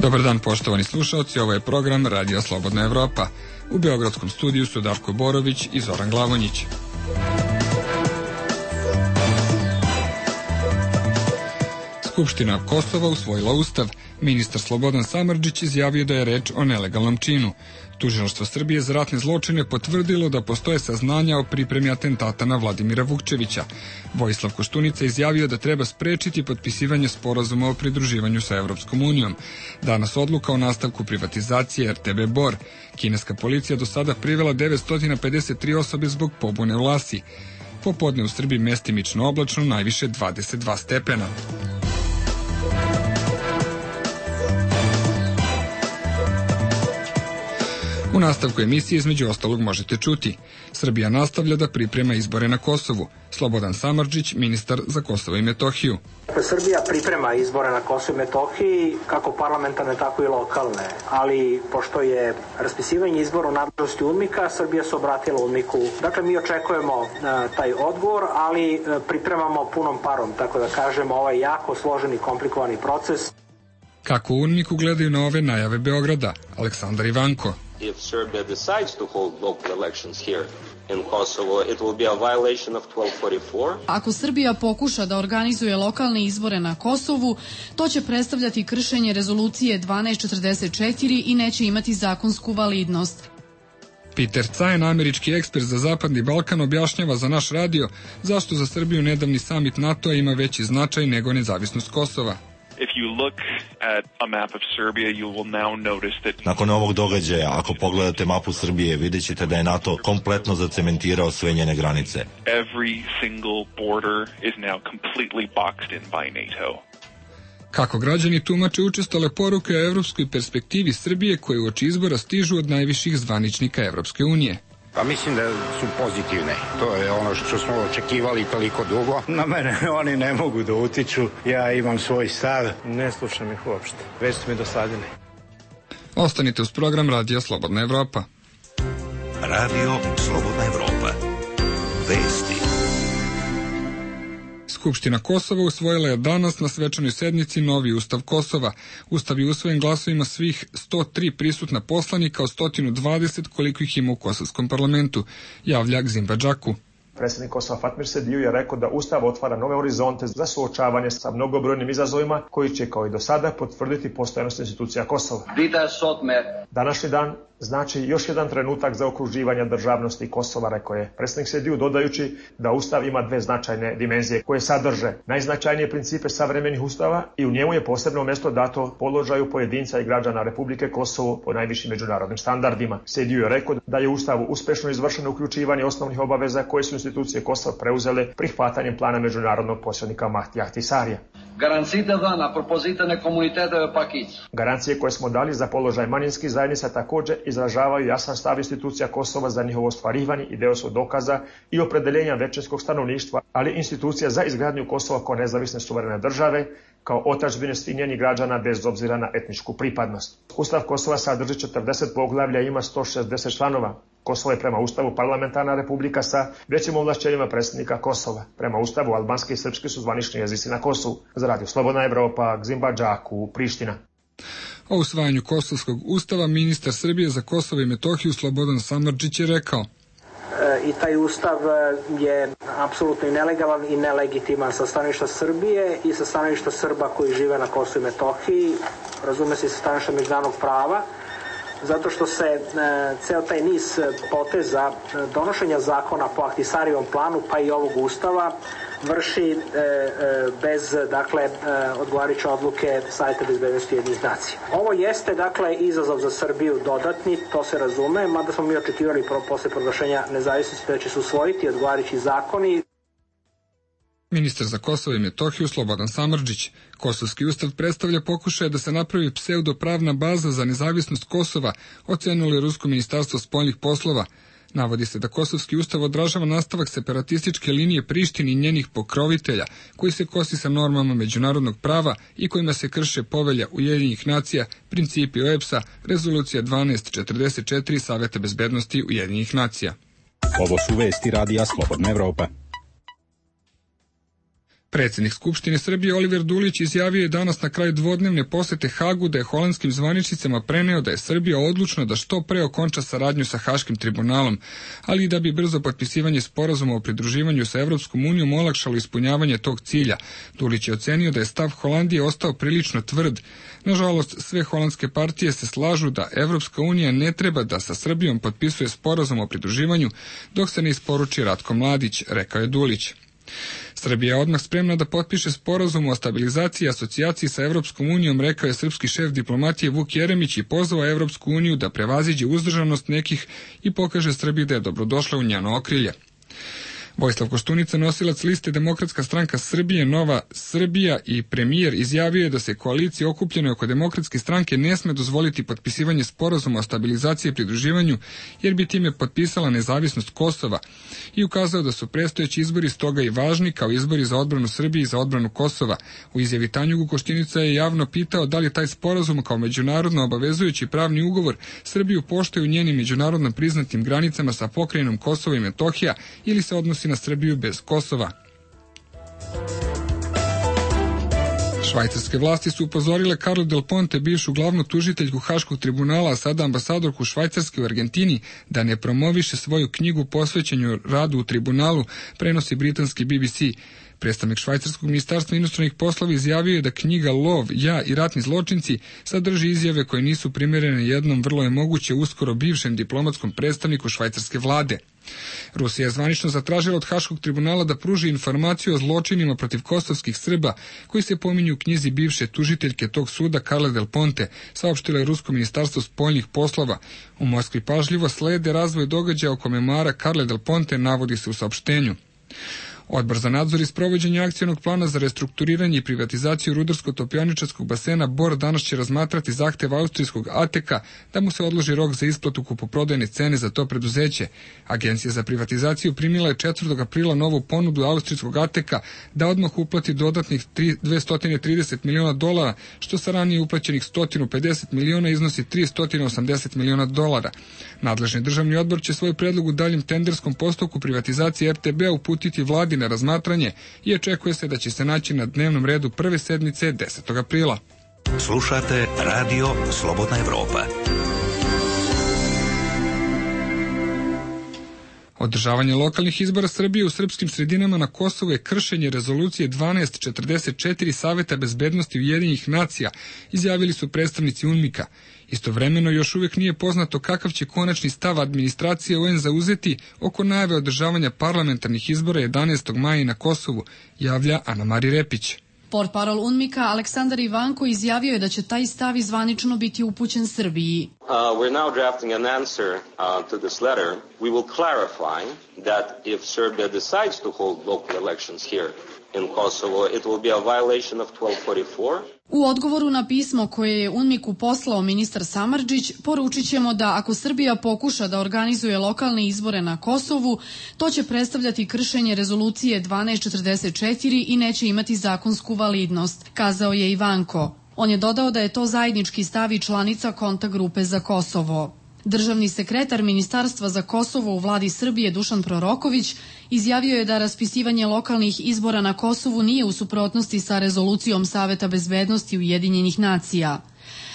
Dobar dan, poštovani slušalci, ovo je program Radio Slobodna Evropa. U beogradskom studiju su Darko Borović i Zoran Glavonjić. Skupština Kosova usvojila ustav. Ministar Slobodan Samardžić izjavio da je reč o nelegalnom činu. Tužilaštvo Srbije za ratne zločine potvrdilo da postoje saznanja o pripremi atentata na Vladimira Vukčevića. Vojislav Koštunica izjavio da treba sprečiti potpisivanje sporazuma o pridruživanju sa Evropskom unijom. Danas odluka o nastavku privatizacije RTB Bor. Kineska policija do sada privela 953 osobe zbog pobune u Lasi. Popodne u Srbiji mestimično oblačno, najviše 22 stepena. U nastavku emisije između ostalog možete čuti: Srbija nastavlja da priprema izbore na Kosovu. Slobodan Samardžić, ministar za Kosovo i Metohiju. Srbija priprema izbore na Kosovu i Metohiji, kako parlamentarne, tako i lokalne. Ali, pošto je raspisivanje izbora u nadležnosti UNMIK-a, Srbija se obratila UNMIK-u. Dakle, mi očekujemo taj odgovor, ali pripremamo punom parom, tako da kažemo, ovaj jako složen i komplikovani proces. Kako u UNMIK-u gledaju na ove najave Beograda? Aleksandar Ivanko. If Serbia decides to hold local elections here in Kosovo, it will be a violation of 1244. Ako Srbija pokuša da organizuje lokalne izbore na Kosovu, to će predstavljati kršenje rezolucije 1244 i neće imati zakonsku validnost. Peter Cajen, američki ekspert za Zapadni Balkan, objašnjava za naš radio zašto za Srbiju nedavni samit NATO-a ima veći značaj nego nezavisnost Kosova. If you look at a map of Serbia, you will now notice that... Nakon ovog događaja, ako pogledate mapu Srbije, vidjet ćete da je NATO kompletno zacementirao sve njene granice. Every single border is now completely boxed in by NATO. Kako građani tumače učestale poruke o evropskoj perspektivi Srbije koje uoči izbora stižu od najviših zvaničnika Evropske unije? Pa mislim da su pozitivne. To je ono što smo očekivali toliko dugo. Na mene oni ne mogu da utiču. Ja imam svoj stav. Ne slušam ih uopšte. Već su mi dosadili. Ostanite uz program Radio Slobodna Evropa. Radio Slobodna Evropa. Vesti. Skupština Kosova usvojila je danas na svečanoj sednici novi ustav Kosova. Ustav je usvojen glasovima svih 103 prisutna poslanika od 120 koliko ih ima u kosovskom parlamentu, javlja Gzimba Džaku. Predsjednik Kosova Fatmir Sediju je rekao da Ustav otvara nove horizonte za suočavanje sa mnogobrojnim izazovima koji će kao i do sada potvrditi postojanost institucija Kosova. Današnji dan znači još jedan trenutak za okruživanje državnosti Kosova, rekao je predsjednik Sediju, dodajući da Ustav ima dve značajne dimenzije koje sadrže najznačajnije principe savremenih ustava i u njemu je posebno mjesto dato položaju pojedinca i građana Republike Kosovo po najvišim međunarodnim standardima. Sediju je rekao da je Ustavu uspešno izvršeno uključivanje osnovnih obaveza koje su institucije Kosova preuzele prihvatanjem plana međunarodnog posrednika Mahtija Ahtisarija. Garancije koje smo dali za položaj manjinskih zajednica također izražavaju jasan stav institucija Kosova za njihovo ostvarivanje i deo su dokaza i opredeljenja većinskog stanovništva, ali institucija za izgradnju Kosova kao nezavisne suverene države, kao otadžbine svih njenih građana bez obzira na etničku pripadnost. Ustav Kosova sadrži 40 poglavlja i ima 160 članova. Kosovo je prema Ustavu parlamentarna republika sa većim ovlašćenjima predsjednika Kosova. Prema Ustavu albanski i srpski su zvanični jezici na Kosovu. Za Radio Slobodna Evropa, Gzimba Džaku, Priština. O usvajanju Kosovskog ustava ministar Srbije za Kosovo i Metohiju Slobodan Samardžić je rekao: I taj ustav je apsolutno i nelegalan i nelegitiman sa stanovišta Srbije i sa stanovišta Srba koji žive na Kosovu i Metohiji, razume se i sa stanovišta međunarodnog prava, zato što se ceo taj niz poteza donošenja zakona po Ahtisarijevom planu, pa i ovog ustava, vrši bez, odgovarajuće odluke Saveta bezbednosti Ujedinjenih nacija. Ovo jeste, izazov za Srbiju dodatni, to se razume, mada smo mi očekivali posle proglašenja nezavisnosti da će se usvojiti odgovarajući zakoni. Ministar za Kosovo i Metohiju Slobodan Samardžić. Kosovski ustav predstavlja pokušaj da se napravi pseudopravna baza za nezavisnost Kosova, ocenilo je Rusko ministarstvo spoljnih poslova. Navodi se da Kosovski ustav odražava nastavak separatističke linije Prištine i njenih pokrovitelja, koji se kosi sa normama međunarodnog prava i kojima se krše povelja Ujedinjenih nacija, principi OEBS-a, rezolucija 1244 Saveta bezbednosti Ujedinjenih nacija. Ovo su vesti Radija Slobodna Evropa. Predsjednik Skupštine Srbije Oliver Dulić izjavio je danas na kraju dvodnevne posete Hagu da je holandskim zvaničnicama preneo da je Srbija odlučna da što pre okonča saradnju sa Haškim tribunalom, ali i da bi brzo potpisivanje sporazuma o pridruživanju sa Evropskom unijom olakšalo ispunjavanje tog cilja. Dulić je ocenio da je stav Holandije ostao prilično tvrd. Nažalost, sve holandske partije se slažu da Evropska unija ne treba da sa Srbijom potpisuje sporazum o pridruživanju dok se ne isporuči Ratko Mladić, rekao je Dulić. Srbija je odmah spremna da potpiše sporazum o stabilizaciji i asocijaciji sa Evropskom unijom, rekao je srpski šef diplomatije Vuk Jeremić i pozvao Evropsku uniju da prevaziđe uzdržanost nekih i pokaže Srbiji da je dobrodošla u njeno okrilje. Vojislav Koštunica, nosilac liste Demokratska stranka Srbije, Nova Srbija i premijer, izjavio je da se koalicija okupljena oko Demokratske stranke ne sme dozvoliti potpisivanje sporazuma o stabilizaciji i pridruživanju, jer bi time potpisala nezavisnost Kosova, i ukazao da su predstojeći izbori stoga i važni kao izbori za odbranu Srbije i za odbranu Kosova. U izjavi Tanjugu Koštunica je javno pitao da li taj sporazum kao međunarodno obavezujući pravni ugovor Srbiju poštuje u njenim međunarodno priznatim granicama sa pokrajinom Kosovo i Metohija ili se odnosi na Srbiju bez Kosova. Švajcarske vlasti su upozorile Carla Del Ponte, bivšu glavnu tužiteljku Haškog tribunala, a sada ambasadorku Švajcarske u Argentini, da ne promoviše svoju knjigu posvećenju radu u tribunalu, prenosi britanski BBC. Predstavnik švajcarskog ministarstva inostranih poslova izjavio je da knjiga Lov, ja i ratni zločinci sadrži izjave koje nisu primerene jednom vrlo je moguće uskoro bivšem diplomatskom predstavniku švajcarske vlade. Rusija je zvanično zatražila od Haškog tribunala da pruži informaciju o zločinima protiv kosovskih Srba koji se pominju u knjizi bivše tužiteljke tog suda Carle Del Ponte, saopštilo je Rusko ministarstvo spoljnih poslova. U Moskvi pažljivo slede razvoj događaja oko memara Carle Del Ponte, navodi se u saopštenju. Odbor za nadzor i sprovođenje akcionog plana za restrukturiranje i privatizaciju rudarsko-topioničarskog basena Bor danas će razmatrati zahtev austrijskog ATK-a da mu se odloži rok za isplatu kupoprodajne cene za to preduzeće. Agencija za privatizaciju primila je 4. aprila novu ponudu austrijskog ATK-a da odmah uplati dodatnih $230 miliona, što sa ranije uplaćenih $150 miliona iznosi $380 miliona. Nadležni državni odbor će svoj predlog u daljem tenderskom postupku privatizacije RTB-a uputiti vladi na razmatranje i očekuje se da će se naći na dnevnom redu prve sedmice 10. aprila. Slušate Radio Slobodna Evropa. Održavanje lokalnih izbora Srbije u srpskim sredinama na Kosovu je kršenje rezolucije 1244 Saveta bezbednosti Ujedinjenih nacija, izjavili su predstavnici UNMIK-a. Istovremeno još uvijek nije poznato kakav će konačni stav administracije UN zauzeti oko najave održavanja parlamentarnih izbora 11. maja na Kosovu, javlja Ana Mari Repić. Portparol UNMIK-a Aleksandar Ivanko izjavio je da će taj stav zvanično biti upućen Srbiji. We're now drafting an answer to this letter. We will clarify that if Serbia decides to hold local elections here in Kosovo, it will be a violation of 1244. U odgovoru na pismo koje je UNMIK-u poslao ministar Samardžić, poručit ćemo da ako Srbija pokuša da organizuje lokalne izbore na Kosovu, to će predstavljati kršenje rezolucije 1244 i neće imati zakonsku validnost, kazao je Ivanko. On je dodao da je to zajednički stav i članica kontakt grupe za Kosovo. Državni sekretar Ministarstva za Kosovo u vladi Srbije Dušan Proroković izjavio je da raspisivanje lokalnih izbora na Kosovu nije u suprotnosti sa rezolucijom Saveta bezbednosti Ujedinjenih nacija.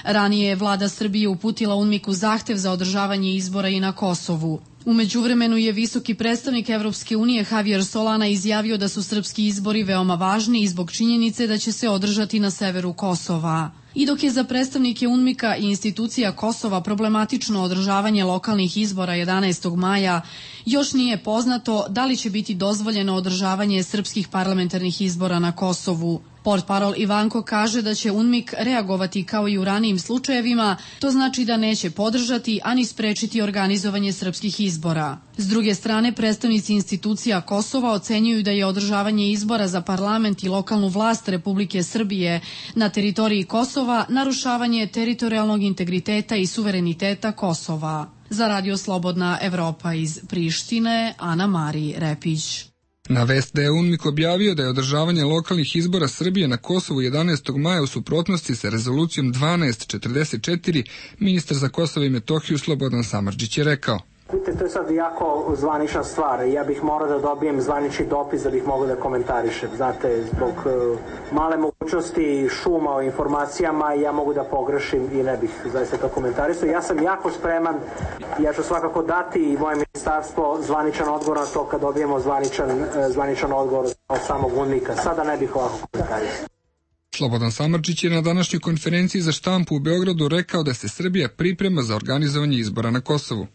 Ranije je vlada Srbije uputila UNMIK-u zahtev za održavanje izbora i na Kosovu. U međuvremenu je visoki predstavnik Evropske unije Javier Solana izjavio da su srpski izbori veoma važni i zbog činjenice da će se održati na severu Kosova. I dok je za predstavnike UNMIK-a i institucija Kosova problematično održavanje lokalnih izbora 11. maja, još nije poznato da li će biti dozvoljeno održavanje srpskih parlamentarnih izbora na Kosovu. Portparol Ivanko kaže da će UNMIK reagovati kao i u ranijim slučajevima, to znači da neće podržati ani sprečiti organizovanje srpskih izbora. S druge strane, predstavnici institucija Kosova ocenjuju da je održavanje izbora za parlament i lokalnu vlast Republike Srbije na teritoriji Kosova narušavanje teritorijalnog integriteta i suvereniteta Kosova. Za Radio Slobodna Evropa iz Prištine, Ana Mari Repić. Na vest da je UNMIK objavio da je održavanje lokalnih izbora Srbije na Kosovu 11. maja u suprotnosti sa rezolucijom 1244, ministar za Kosovo i Metohiju Slobodan Samardžić je rekao. Vidite, to je sad jako zvanična stvar. Ja bih morao da dobijem zvanični dopis da bih mogao da komentarišem. Znate, zbog male mogućnosti šuma o informacijama ja mogu da pogrešim i ne bih zaista to komentarisao. Ja sam jako spreman, ja ću svakako dati i moje ministarstvo zvaničan odgovor na to kad dobijemo zvaničan odgovor od samog UNMIK-a. Sada ne bih ovako komentarisao. Slobodan Samardžić je na današnjoj konferenciji za štampu u Beogradu rekao da se Srbija priprema za organizovanje izbora na Kosovu.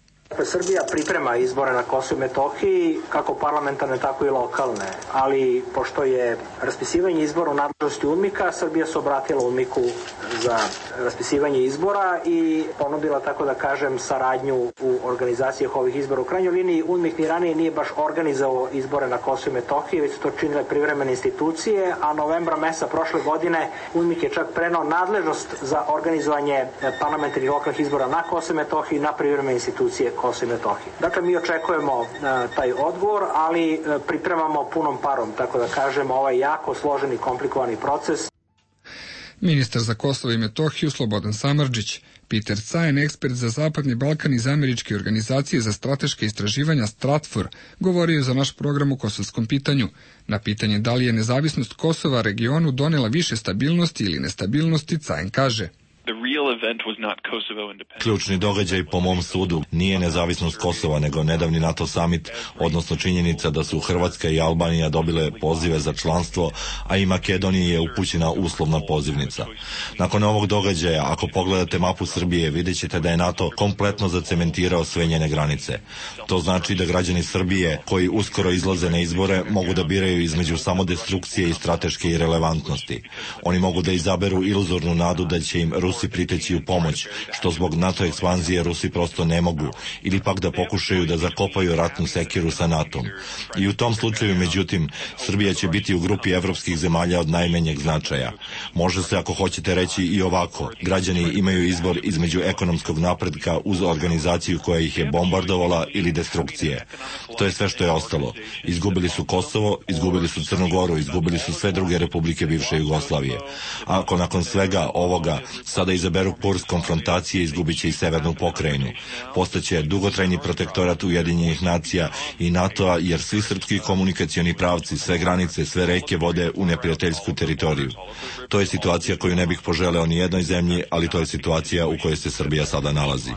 Srbija priprema izbore na Kosovu i Metohiji, kako parlamentarne, tako i lokalne, ali pošto je raspisivanje izbora u nadležnosti UNMIK-a, Srbija se obratila UNMIK-u za raspisivanje izbora i ponudila, tako da kažem, saradnju u organizaciji ovih izbora. U krajnjoj liniji UNMIK ni ranije nije baš organizovao izbore na Kosovu i Metohiji, već su to činile privremene institucije, a novembra meseca prošle godine UNMIK je čak prenao nadležnost za organizovanje parlamentarnih lokalnih izbora na Kosovu i Metohiji na privremene institucije Kosovo i Metohije. Dakle, mi očekujemo taj odgovor, ali pripremamo punom parom, tako da kažem, ovaj jako složen i komplikovani proces. Ministar za Kosovo i Metohiju Slobodan Samardžić. Peter Cajan, ekspert za Zapadni Balkan iz Američke organizacije za strateška istraživanja Stratfor, govorio za naš program u kosovskom pitanju. Na pitanje da li je nezavisnost Kosova regionu donela više stabilnosti ili nestabilnosti, Cajan kaže: Ključni događaj po mom sudu nije nezavisnost Kosova, nego nedavni NATO summit, odnosno činjenica da su Hrvatska i Albanija dobile pozive za članstvo, a i Makedoniji je upućena uslovna pozivnica. Nakon ovog događaja, ako pogledate mapu Srbije, vidjet ćete da je NATO kompletno zacementirao sve njene granice. To znači da građani Srbije, koji uskoro izlaze na izbore, mogu da biraju između samodestrukcije i strateške irelevantnosti. Oni mogu da izaberu iluzornu nadu da će im Rusi priteći u pomoć, što zbog NATO ekspanzije Rusi prosto ne mogu, ili pak da pokušaju da zakopaju ratnu sekiru sa NATO-om. I u tom slučaju, međutim, Srbija će biti u grupi evropskih zemalja od najmanjeg značaja. Može se, ako hoćete, reći i ovako: građani imaju izbor između ekonomskog napretka uz organizaciju koja ih je bombardovala ili destrukcije. To je sve što je ostalo. Izgubili su Kosovo, izgubili su Crnu Goru, izgubili su sve druge republike bivše Jugoslavije. A ako nakon svega ovoga sada izaberu kurs konfrontacije, izgubit će i severnu pokrajinu. Postaće dugotrajni protektorat Ujedinjenih nacija i NATO-a, jer svi srpski komunikacioni pravci, sve granice, sve reke vode u neprijateljsku teritoriju. To je situacija koju ne bih poželeo ni jednoj zemlji, ali to je situacija u kojoj se Srbija sada nalazi.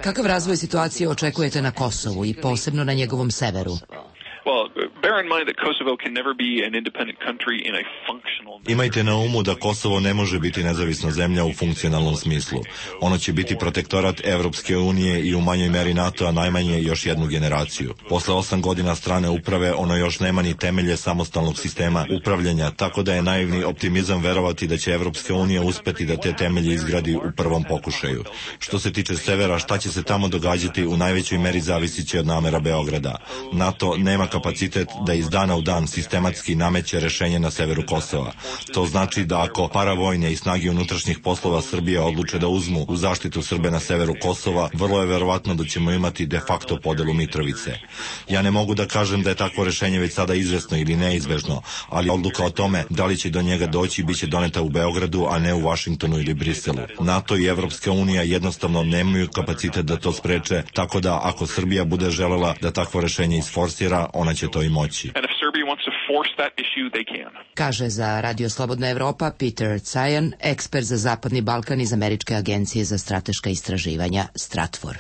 Kakav razvoj situacije očekujete na Kosovu i posebno na njegovom severu? Imajte na umu da Kosovo ne može biti nezavisna zemlja u funkcionalnom smislu. Ono će biti protektorat Evropske unije i u manjoj meri NATO-a najmanje još jednu generaciju. Posle 8 godina strane uprave ono još nema ni temelje samostalnog sistema upravljanja, tako da je naivni optimizam verovati da će Evropska unija uspeti da te temelje izgradi u prvom pokušaju. Što se tiče severa, šta će se tamo događati u najvećoj meri zavisit će od namera Beograda. NATO nema kapacitet da iz dana u dan sistematski nameće rešenje na severu Kosova. To znači da ako paravojne i snage unutrašnjih poslova Srbije odluče da uzmu u zaštitu Srbe na severu Kosova, vrlo je verovatno da ćemo imati de facto podelu Mitrovice. Ja ne mogu da kažem da je takvo rešenje već sada izvesno ili neizbežno, ali odluka o tome da li će do njega doći biće doneta u Beogradu, a ne u Vašingtonu ili Briselu. NATO i Evropska unija jednostavno nemaju kapacitet da to spreče, tako da ako Srbija bude želela da takvo rešenje isforsira, ona će to i moći. Kaže za Radio Slobodna Evropa Peter Cajan, ekspert za Zapadni Balkan iz Američke agencije za strateška istraživanja Stratfor.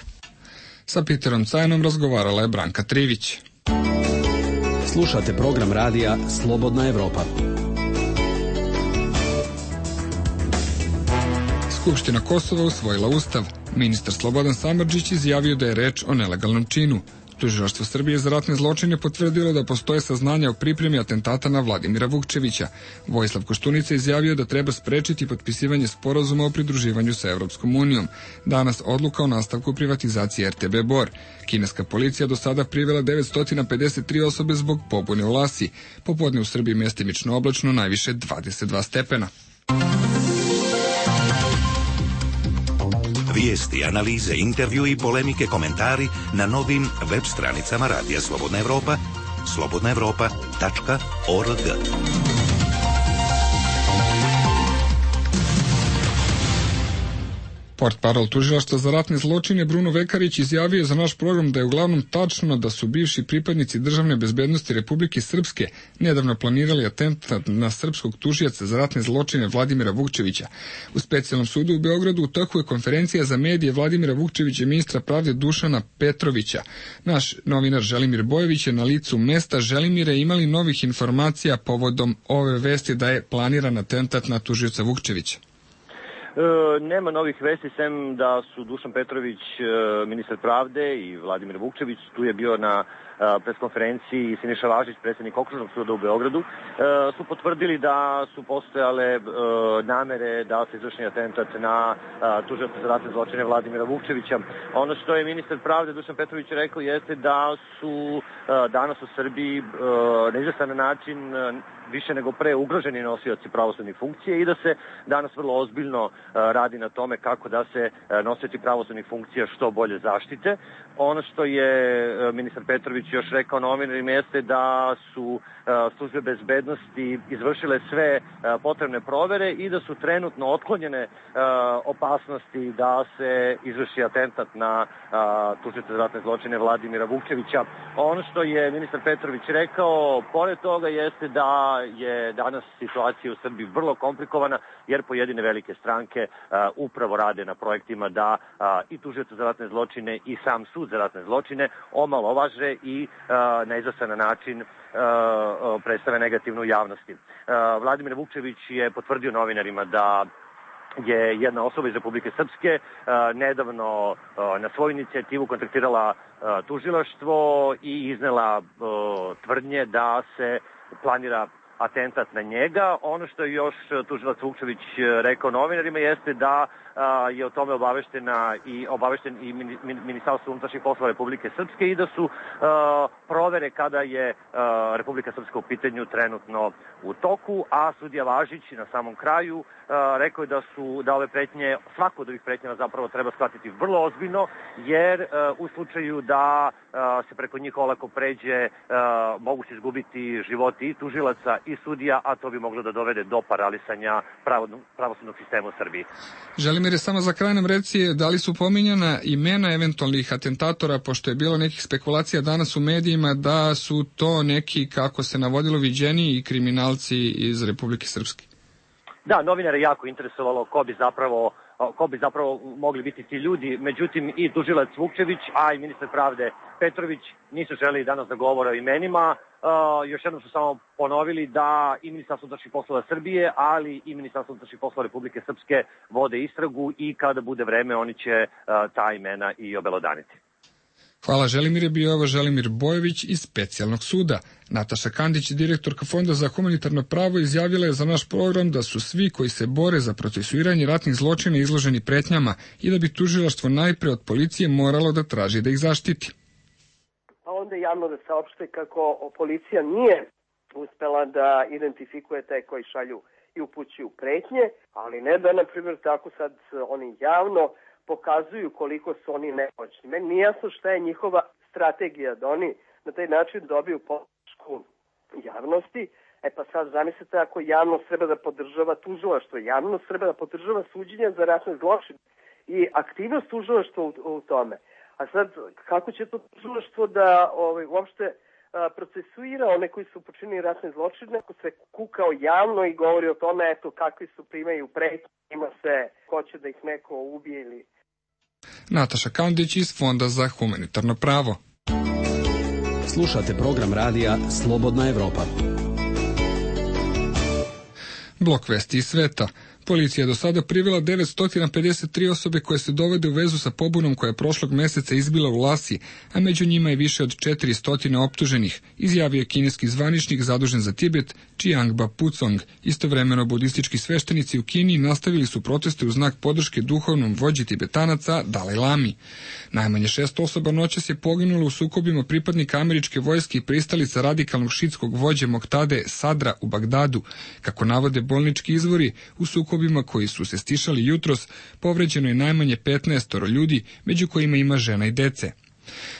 Sa Peterom Cajanom razgovarala je Branka Trivić. Slušate program radija Slobodna Evropa. Skupština Kosova usvojila ustav. Ministar Slobodan Samardžić izjavio da je reč o nelegalnom činu. Tužilaštvo Srbije za ratne zločine potvrdilo da postoje saznanja o pripremi atentata na Vladimira Vukčevića. Vojislav Koštunica izjavio da treba sprečiti potpisivanje sporazuma o pridruživanju sa Evropskom unijom. Danas odluka o nastavku privatizacije RTB Bor. Kineska policija do sada privela 953 osobe zbog pobune u Lasi. Popodne u Srbiji mestimično oblačno, najviše 22 stepena. Vijesti, analize, intervju i polemike, komentari na novim web stranicama Radija Slobodna Evropa, slobodnaevropa.org. Portparol tužilaštva za ratne zločine Bruno Vekarić izjavio za naš program da je uglavnom tačno da su bivši pripadnici državne bezbednosti Republike Srpske nedavno planirali atentat na srpskog tužioca za ratne zločine Vladimira Vukčevića. U specijalnom sudu u Beogradu u toku je konferencija za medije Vladimira Vukčevića i ministra pravde Dušana Petrovića. Naš novinar Želimir Bojović je na licu mesta. Želimire, imali novih informacija povodom ove vesti da je planiran atentat na tužioca Vukčevića? Nema novih vesti, sem da su Dušan Petrović, ministar pravde, i Vladimir Vukčević, tu je bio na preskonferenciji, i Siniša Važić, predsjednik Okružnog suda u Beogradu, su potvrdili da su postojale namere da se izvrši atentat na tužioca za ratne zločine Vladimira Vukčevića. Ono što je ministar pravde Dušan Petrović rekao jeste da su danas u Srbiji na izvestan način više nego pre ugroženi nosioci pravosudnih funkcija i da se danas vrlo ozbiljno radi na tome kako da se nosioci pravosudnih funkcija što bolje zaštite. Ono što je ministar Petrović još rekao novinarima jeste da su službe bezbednosti izvršile sve potrebne provere i da su trenutno otklonjene opasnosti da se izvrši atentat na tužioca za ratne zločine Vladimira Vukčevića. Ono što je ministar Petrović rekao, pored toga, jeste da je danas situacija u Srbiji vrlo komplikovana, jer pojedine velike stranke upravo rade na projektima da i tužioca za ratne zločine i sam sud za ratne zločine omalovaže i na izvestan način predstave negativno u javnosti. Vladimir Vukčević je potvrdio novinarima da je jedna osoba iz Republike Srpske nedavno na svoju inicijativu kontaktirala tužilaštvo i iznela tvrdnje da se planira atentat na njega. Ono što je još tužilac Vukčević rekao novinarima jeste da je o tome obavešten i Ministarstvo unutrašnjih poslova Republike Srpske i da su provere kada je Republika Srpska u pitanju trenutno u toku, a sudija Važić na samom kraju rekao je da ove pretnje, svako od ovih pretnjeva zapravo treba shvatiti vrlo ozbiljno, jer u slučaju da se preko njih olako pređe, mogu se izgubiti životi i tužilaca i sudija, a to bi moglo da dovede do paralisanja pravosudnog sistema u Srbiji. Želimir, samo za kraj nam reci, da li su pominjana imena eventualnih atentatora, pošto je bilo nekih spekulacija danas u medijima da su to neki, kako se navodilo, viđeniji kriminalci iz Republike Srpske? Da, novinare jako interesovalo ko bi zapravo mogli biti ti ljudi, međutim i tužilac Vukčević, a i ministar pravde Petrović nisu želeli danas da govore o imenima. Još jednom su samo ponovili da i Ministarstvo unutrašnjih poslova Srbije, ali i Ministarstvo unutrašnjih poslova Republike Srpske vode istragu i kada bude vreme oni će ta imena i obelodaniti. Hvala Želimire, bio ovo Želimir Bojović iz specijalnog suda. Nataša Kandić, direktorka Fonda za humanitarno pravo, izjavila je za naš program da su svi koji se bore za procesuiranje ratnih zločina izloženi pretnjama i da bi tužilaštvo najpre od policije moralo da traži da ih zaštiti. Pa onda javno da saopšte kako policija nije uspela da identifikuje te koji šalju i upućuju pretnje, ali ne da, na primjer, tako sad oni javno pokazuju koliko su oni nemoćni. Meni nije jasno šta je njihova strategija, da oni na taj način dobiju podršku javnosti. E pa sad zamislite ako javnost treba da podržava tužilaštvo, javnost treba da podržava suđenja za ratne zločine i aktivnost tužilaštva u tome. A sad kako će to tužilaštvo da uopšte procesuira one koji su počinili ratne zločine, ako se kukao javno i govori o tome, eto, kakvi su primaju pretnje, ima se, hoće da ih neko ubije ili... Nataša Kandić iz Fonda za humanitarno pravo. Slušate program radija Slobodna Evropa. Blok vesti iz sveta. Policija je do sada privela 953 osobe koje se dovode u vezu sa pobunom koja je prošlog meseca izbila u Lasi, a među njima je više od 400 optuženih, izjavio je kineski zvaničnik zadužen za Tibet, Chiangba Pucong. Istovremeno budistički sveštenici u Kini nastavili su proteste u znak podrške duhovnom vođi Tibetanaca Dalaj Lami. Najmanje 6 osoba noćas je poginulo u sukobima pripadnika američke vojske i pristalica radikalnog šitskog vođe Moktade Sadra u Bagdadu. Kako navode bolnički izvori, u sukobima koji su se stišali jutros, povređeno je najmanje 15 ljudi, među kojima ima žena i dece.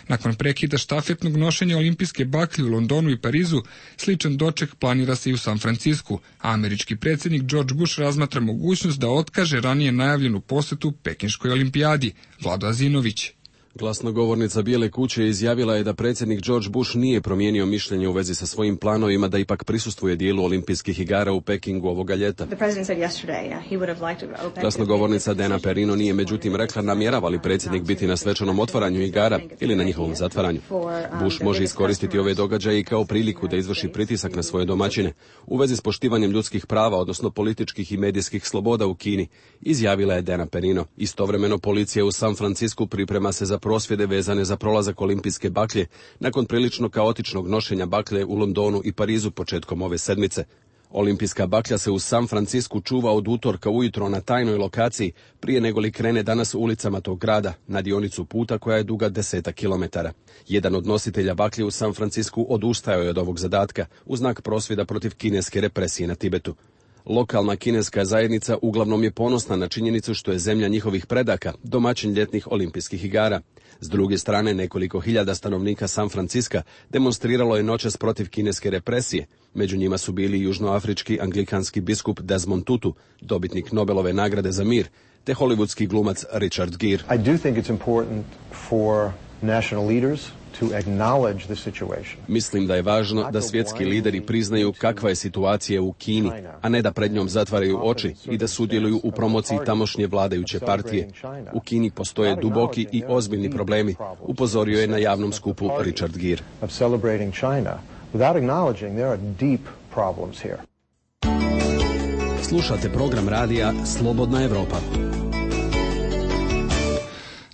Nakon prekida štafetnog nošenja olimpijske baklje u Londonu i Parizu, sličan doček planira se i u San Francisku, a američki predsjednik George Bush razmatra mogućnost da otkaže ranije najavljenu posetu Pekinškoj olimpijadi. Vlado Azinović. Glasnogovornica Bijele kuće izjavila je da predsjednik George Bush nije promijenio mišljenje u vezi sa svojim planovima da ipak prisustvuje dijelu olimpijskih igara u Pekingu ovoga ljeta. Glasnogovornica Dana Perino nije međutim rekla namjerava li predsjednik biti na svečanom otvaranju igara ili na njihovom zatvaranju. Bush može iskoristiti ove događaje i kao priliku da izvrši pritisak na svoje domaćine u vezi s poštivanjem ljudskih prava, odnosno političkih i medijskih sloboda u Kini, izjavila je Dana Perino. Istovremeno policija u San Francisku priprema se za prosvjede vezane za prolazak olimpijske baklje nakon prilično kaotičnog nošenja baklje u Londonu i Parizu početkom ove sedmice. Olimpijska baklja se u San Francisku čuva od utorka ujutro na tajnoj lokaciji prije nego li krene danas ulicama tog grada na dionicu puta koja je duga 10 kilometara. Jedan od nositelja baklje u San Francisku odustajao je od ovog zadatka u znak prosvjeda protiv kineske represije na Tibetu. Lokalna kineska zajednica uglavnom je ponosna na činjenicu što je zemlja njihovih predaka domaćin ljetnih olimpijskih igara. S druge strane, nekoliko hiljada stanovnika San Franciska demonstriralo je noćas protiv kineske represije. Među njima su bili južnoafrički anglikanski biskup Desmond Tutu, dobitnik Nobelove nagrade za mir, te hollywoodski glumac Richard Gere. I do think it's important for national leaders to acknowledge the situation. Mislim da je važno da svjetski lideri priznaju kakva je situacija u Kini, a ne da pred njom zatvaraju oči i da sudjeluju u promociji tamošnje vladajuće partije. U Kini postoje duboki i ozbiljni problemi, upozorio je na javnom skupu Richard Gere. Slušate program radija Slobodna Evropa.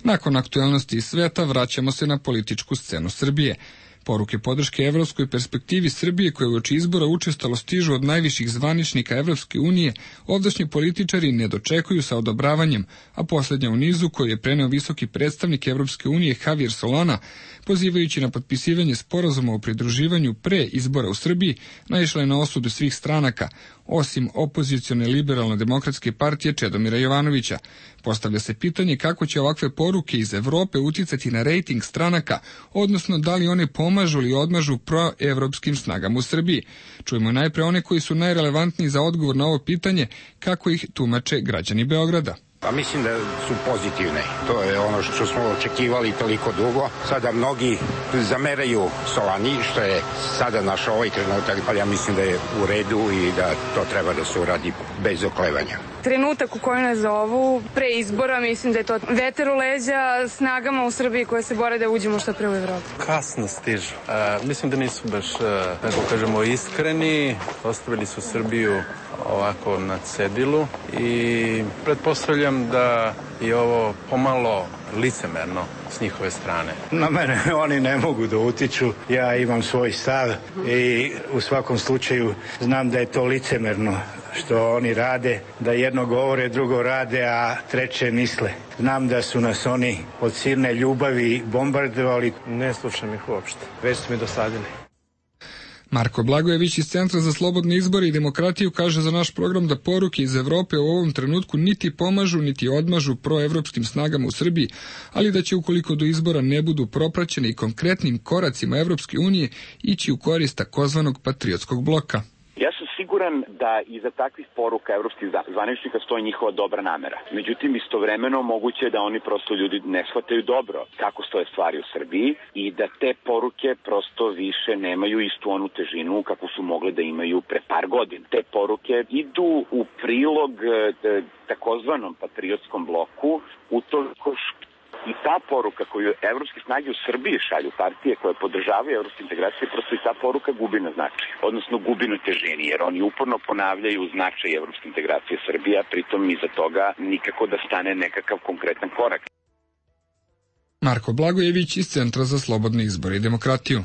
Nakon aktualnosti iz sveta vraćamo se na političku scenu Srbije. Poruke podrške evropskoj perspektivi Srbije koje uoči izbora učestalo stižu od najviših zvaničnika Evropske unije, ovdašnji političari ne dočekuju sa odobravanjem, a posljednja u nizu koju je preneo visoki predstavnik Evropske unije Javier Solana, pozivajući na potpisivanje sporazuma o pridruživanju pre izbora u Srbiji, naišla je na osudu svih stranaka, osim opozicione liberalno-demokratske partije Čedomira Jovanovića. Postavlja se pitanje kako će ovakve poruke iz Evrope uticati na rejting stranaka, odnosno da li one pomažu ili odmažu proevropskim snagama u Srbiji. Čujemo najpre one koji su najrelevantniji za odgovor na ovo pitanje, kako ih tumače građani Beograda. Pa mislim da su pozitivne. To je ono što smo očekivali toliko dugo. Sada mnogi zameraju Solani, što je sada naš ovaj trenutak, ali ja mislim da je u redu i da to treba da se uradi bez oklevanja. Trenutak u kojem nas zovu pre izbora, mislim da je to veter u leđa snagama u Srbiji koje se bore da uđemo što pre u Evropu. Kasno stižu. Mislim da nisu baš, tako kažemo, iskreni. Ostavili su Srbiju ovako na cedilu i pretpostavljam da je ovo pomalo licemerno s njihove strane. Na mene oni ne mogu da utiču, ja imam svoj stav i u svakom slučaju znam da je to licemerno što oni rade, da jedno govore, drugo rade, a treće misle. Znam da su nas oni od silne ljubavi bombardovali. Ne slušam ih uopšte, već su mi dosadili. Marko Blagojević iz Centra za slobodne izbore i demokratiju kaže za naš program da poruke iz Evrope u ovom trenutku niti pomažu, niti odmažu proevropskim snagama u Srbiji, ali da će ukoliko do izbora ne budu propraćene i konkretnim koracima Evropske unije ići u korist takozvanog patriotskog bloka. Ja sam siguran da iza takvih poruka evropskih zvaničnika stoji njihova dobra namera. Međutim, istovremeno moguće je da oni prosto ljudi ne shvataju dobro kako stoje stvari u Srbiji i da te poruke prosto više nemaju istu onu težinu kako su mogle da imaju pre par godina. Te poruke idu u prilog takozvanom patriotskom bloku utoliko i ta poruka koju evropske snage u Srbiji šalju, partije koje podržavaju evropske integracije, prosto i ta poruka gubi na značaju, odnosno gubi na težini, jer oni uporno ponavljaju značaj evropske integracije Srbije, pritom iza toga nikako da stane nekakav konkretan korak. Marko Blagojević iz Centra za slobodne izbore i demokratiju.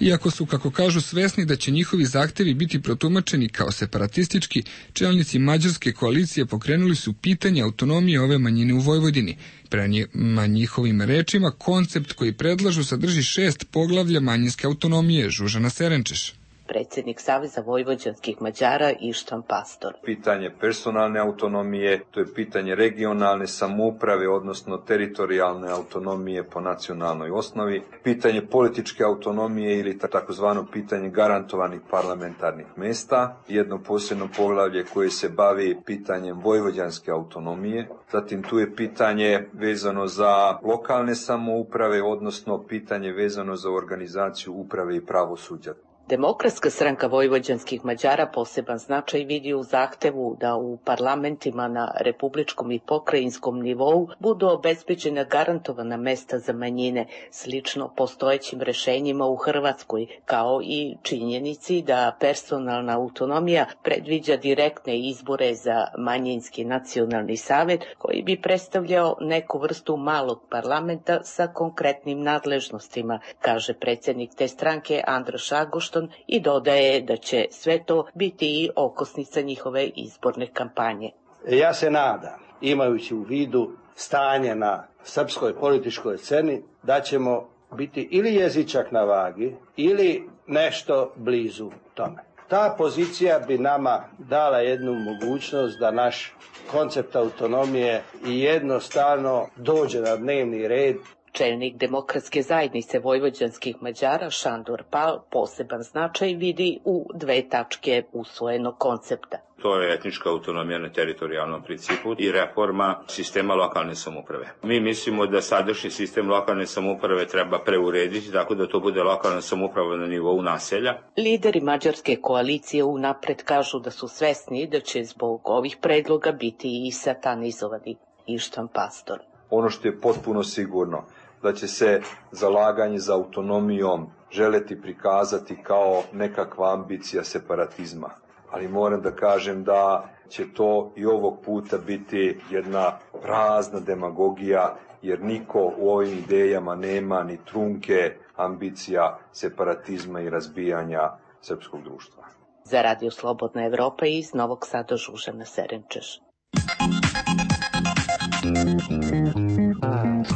Iako su, kako kažu, svesni da će njihovi zahtevi biti protumačeni kao separatistički, čelnici mađarske koalicije pokrenuli su pitanje autonomije ove manjine u Vojvodini. Prema njihovim rečima, koncept koji predlažu sadrži 6 poglavlja manjinske autonomije. Žužana Serenčeš. predsjednik Saveza vojvođanskih Mađara Ištvan Pastor. Pitanje personalne autonomije, to je pitanje regionalne samouprave, odnosno teritorijalne autonomije po nacionalnoj osnovi, pitanje političke autonomije ili takozvano pitanje garantovanih parlamentarnih mesta, jedno posebno poglavlje koje se bavi pitanjem vojvođanske autonomije, zatim tu je pitanje vezano za lokalne samouprave, odnosno pitanje vezano za organizaciju uprave i pravosuđa. Demokratska stranka vojvođanskih Mađara poseban značaj vidi u zahtevu da u parlamentima na republičkom i pokrajinskom nivou budu obezbeđena garantovana mesta za manjine, slično postojećim rešenjima u Hrvatskoj, kao i činjenici da personalna autonomija predviđa direktne izbore za manjinski nacionalni savet, koji bi predstavljao neku vrstu malog parlamenta sa konkretnim nadležnostima, kaže predsjednik te stranke Andraš Agošton, i dodaje da će sve to biti i okosnica njihove izborne kampanje. Ja se nadam, imajući u vidu stanje na srpskoj političkoj sceni, da ćemo biti ili jezičak na vagi ili nešto blizu tome. Ta pozicija bi nama dala jednu mogućnost da naš koncept autonomije i jednostavno dođe na dnevni red. Čelnik Demokratske zajednice vojvođanskih Mađara Šandor Pal poseban značaj vidi u 2 tačke usvojenog koncepta. To je etnička autonomija na teritorijalnom principu i reforma sistema lokalne samouprave. Mi mislimo da sadašnji sistem lokalne samouprave treba preurediti tako da to bude lokalna samouprava na nivou naselja. Lideri mađarske koalicije unapred kažu da su svesni da će zbog ovih predloga biti i satanizovani. Ištvan Pastor. Ono što je potpuno sigurno, da će se zalaganje za autonomijom želeti prikazati kao nekakva ambicija separatizma. Ali moram da kažem da će to i ovog puta biti jedna prazna demagogija, jer niko u ovim idejama nema ni trunke ambicija separatizma i razbijanja srpskog društva. Za Radio Slobodna Evropa iz Novog Sada Žužana Serenčeš.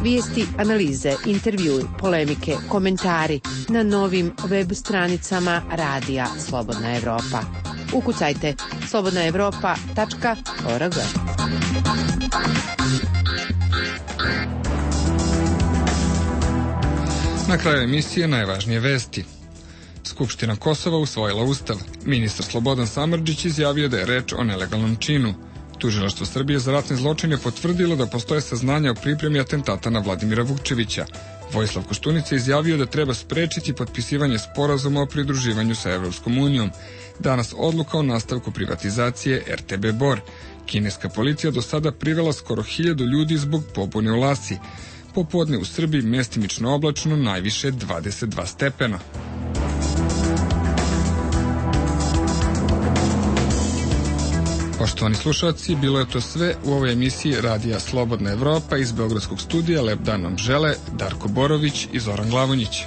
Vijesti, analize, intervjui, polemike, komentari na novim web stranicama Radija Slobodna Evropa. Ukucajte slobodnaevropa.org. Na kraju emisije najvažnije vesti. Skupština Kosova usvojila ustav. Ministar Slobodan Samardžić izjavio da je reč o nelegalnom činu. Tužilaštvo Srbije za ratne zločine potvrdilo da postoje saznanja o pripremi atentata na Vladimira Vukčevića. Vojislav Koštunica izjavio da treba sprečiti potpisivanje sporazuma o pridruživanju sa Evropskom unijom. Danas odluka o nastavku privatizacije RTB Bor. Kineska policija do sada privela skoro 1000 ljudi zbog pobune u Lasi. Popodne u Srbiji mestimično oblačno, najviše 22 stepena. Poštovani slušalci, bilo je to sve u ovoj emisiji Radija Slobodna Evropa. Iz Beogradskog studija lep dan vam žele Darko Borović i Zoran Glavonjić.